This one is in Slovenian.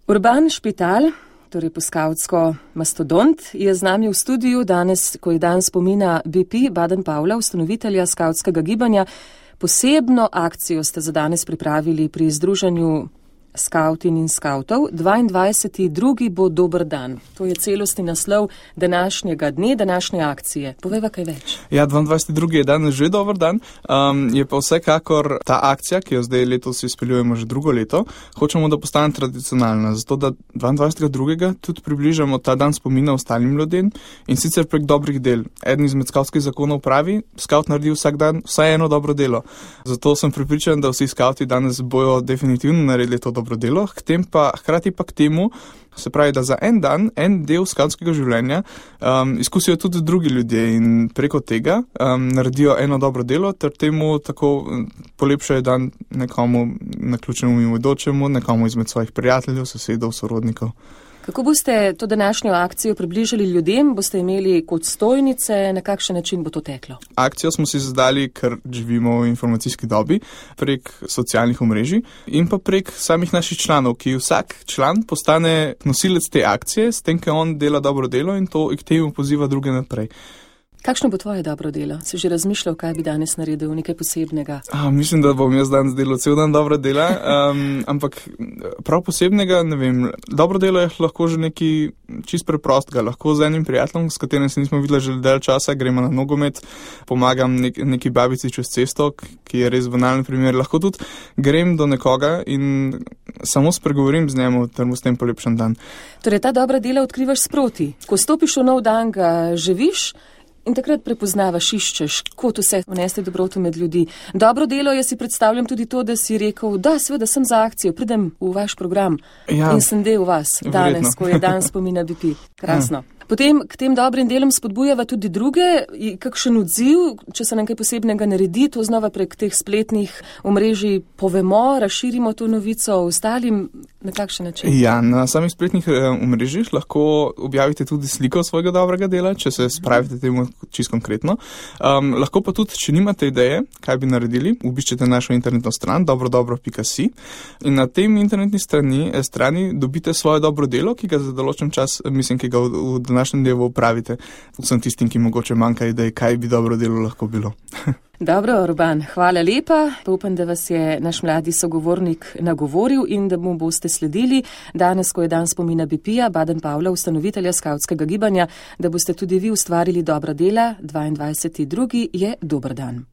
Urban Špital, torej poskavtsko mastodont, je z nami v studiu danes, ko je dan spomina BP Baden-Powella, ustanovitelja skavtskega gibanja. Posebno akcijo ste za danes pripravili pri združenju skavtin in skavtov. 22.2. bo dober dan. To je celostni naslov današnjega dne, današnje akcije. Povejva kaj več. Ja, 22.2. je danes že dober dan. Je pa vsekakor ta akcija, ki jo zdaj letos izpeljujemo že drugo leto, hočemo, da postane tradicionalna. Zato, da 22.2. tudi približamo ta dan spomina ostalim ljudem in sicer prek dobrih del. Eden izmed skavtskih zakonov pravi, skavt naredi vsak dan vsaj eno dobro delo. Zato sem prepričan, da vsi skavti danes bojo definitivno naredili to dobro delo, hkrati pa k temu, se pravi, da za en dan, en del skavtskega življenja izkusijo tudi drugi ljudje in preko tega naredijo eno dobro delo, ter temu tako polepšajo dan nekomu naključnemu mimoidočemu, nekomu izmed svojih prijateljev, sosedov, sorodnikov. Kako boste to današnjo akcijo približali ljudem? Boste imeli kot stojnice? Na kakšen način bo to teklo? Akcijo smo si zadali, ker živimo v informacijski dobi, prek socialnih omrežij in pa prek samih naših članov, ki vsak član postane nosilec te akcije, s tem, ker on dela dobro delo in to k temu poziva druge naprej. Kakšno bo tvoje dobro delo? Si že razmišljal, kaj bi danes naredil, nekaj posebnega? Mislim, da bom jaz danes delal cel dan dobro dela, ampak prav posebnega, ne vem, dobro delo je lahko že nekaj čist preprostega, lahko z enim prijateljem, s katerim se nismo videli že del časa, gremo na nogomet, pomagam neki babici čez cesto, ki je res banalen primer, lahko tudi grem do nekoga in samo spregovorim z njemu, ter mu s tem polepšam dan. Torej, ta dobra dela odkrivaš sproti. Ko stopiš v nov dan, ga živiš in takrat prepoznavaš, iščeš, kot vse vnesti dobroto med ljudi. Dobro delo, jaz si predstavljam tudi to, da si rekel, da seveda sem za akcijo, pridem v vaš program in sem del vas danes, ko je dan spomina BP. Krasno. Potem k tem dobrim delom spodbujava tudi druge, kakšen odziv, če se nam kaj posebnega naredi, to znova prek teh spletnih omrežij povemo, razširimo to novico ostalim, na kakšen način? Ja, na samih spletnih omrežjih lahko objavite tudi sliko svojega dobrega dela, če se spravite temu čisto konkretno. Lahko pa tudi, če nimate ideje, kaj bi naredili, obiščete našo internetno stran dobrodobro.si in na tem internetni strani dobite svoje dobro delo, ki ga za določen čas, ki ga v današnjem delu upravite. Vsem tistim, ki mogoče manjka idej, kaj bi dobro delo lahko bilo. Dobro, Urban, hvala lepa. Upam, da vas je naš mladi sogovornik nagovoril in da mu boste sledili danes, ko je dan spomina BP-ja, Baden-Powella, ustanovitelja skavtskega gibanja, da boste tudi vi ustvarili dobra dela. 22.2. je dober dan.